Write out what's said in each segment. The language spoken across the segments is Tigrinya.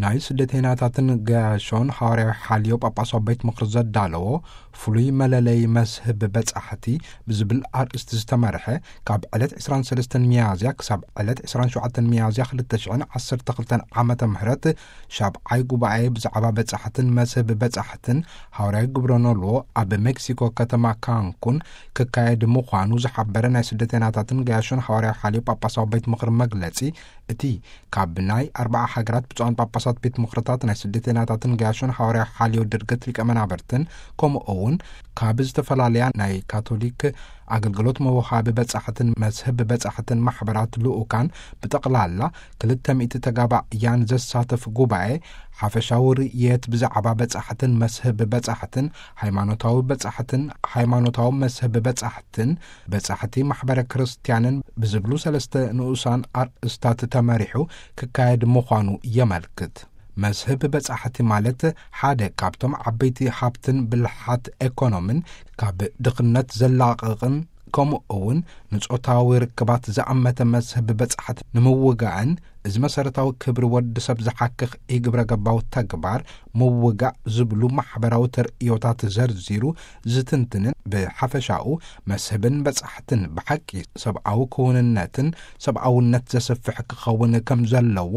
ናይ ስደተይናታትን ገያሾን ሃዋርያዊ ሓልዮ ጳጳሳዊ ቤት ምኽሪ ዘዳለዎ ፍሉይ መለለይ መስህብ በጻሕቲ ብዝብል ኣርእስቲ ዝተመርሐ፣ ካብ ዕለት ዕስራን ሰለስተን ሚያዝያ ክሳብ ዕለት ዕስራን ሸውዓተን ሚያዝያ ክልተ ሽሕን ዓሰርተ ክልተን ዓመተ ምህረት ሻብዓይ ጉባኤ ብዛዕባ በጻሕትን መስህብ በጻሕትን ሃዋርያዊ ግብረ ኖልዎ ኣብ ሜክሲኮ ከተማ ካንኩን ክካየድ ምዃኑ ዝሓበረ ናይ ስደተይናታትን ገያሾን ሃዋርያዊ ሓልዮ ጳጳሳዊ ቤት ምኽሪ መግለጺ፣ እቲ ካብ ናይ ኣርባዓ ሃገራት ብፁዓን ጳጳሳት ቤት ምኽርታት ናይ ስደተይናታትን ገያሾን ሃዋርያዊ ሓልዮ ድርገት ሊቀ መናብርትን፣ ከምኡ እውን ካብ ዝተፈላለያ ናይ ካቶሊክ ኣገልግሎት መውሃቢ በጻሕትን መስህብ በጻሕትን ማሕበራት ልኡካን ብጠቕላላ ክልተ ሚእቲ ተጋባእያን ዘሳተፍ ጉባኤ፣ ሓፈሻዊ ርእየት ብዛዕባ በጻሕትን መስህብ በጻሕትን፣ ሃይማኖታዊ በጻሕትን ሃይማኖታዊ መስህብ በጻሕትን በጻሕቲ ማሕበረ ክርስትያንን ብዝብሉ ሰለስተ ንኡሳን ኣርእስታት ተመሪሑ ክካየድ ምዃኑ የመልክት። መስህብ በጻሕቲ ማለት ሓደ ካብቶም ዓበይቲ ሃብትን ብልሓት ኤኮኖምን ካብ ድኽነት ዘላቕቕን ከምኡ እውን ንጾታዊ ርክባት ዝኣመተ መስህብ በጻሕቲ ንምውጋእን፣ እዚ መሰረታዊ ክብሪ ወዲ ሰብ ዝሓክኽ ኢግብረ ገባዊ ተግባር ምውጋእ ዝብሉ ማሕበራዊ ተርእዮታት ዘርዚሩ ዝትንትንን፣ ብሓፈሻኡ መስህብን በጻሕትን ብሓቂ ሰብኣዊ ክውንነትን ሰብኣውነት ዘስፍሕ ክኸውን ከም ዘለዎ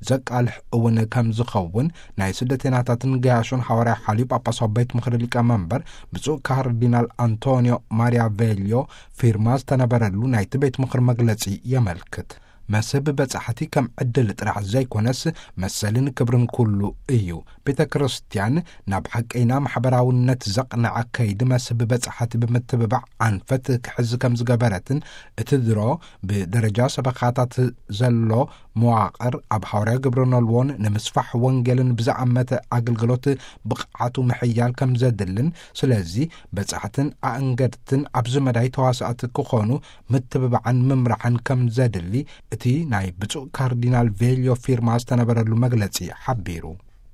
ዘቃልሕ እውን ከም ዝኸውን ናይ ስደተይናታትን ገያሾን ሃዋርያ ሓልዩ ጳጳሳዊ ቤት ምኽሪ ሊቀ መንበር ብፁዕ ካርዲናል ኣንቶኒዮ ማሪያ ቬልዮ ፊርማ ዝተነበረሉ ናይቲ ቤት ምኽሪ መግለጺ የመልክት። መስህብ በጻሕቲ ከም ዕድል ጥራሕ ዘይኮነስ መሰልን ክብርን ኩሉ እዩ። ቤተ ክርስቲያን ናብ ሓቀይና ማሕበራውነት ዘቕንዐ ከይዲ መስህብ በጻሕቲ ብምትብባዕ ኣንፈት ክሕዝ ከም ዝገበረትን፣ እቲ ድሮ ብደረጃ ሰበኻታት ዘሎ መዋቕር ኣብ ሃዋርያ ግብረ ኖልዎን ንምስፋሕ ወንጌልን ብዝኣመተ ኣገልግሎት ብቕዓቱ ምሕያል ከም ዘድልን፣ ስለዚ በጻሕትን ኣእንገድትን ኣብዚ መዳይ ተዋሳእቲ ክኾኑ ምትብባዕን ምምራሕን ከም ዘድሊ እቲ ናይ ብፁዕ ካርዲናል ቬልዮ ፊርማ ዝተነበረሉ መግለጺ ሓቢሩ።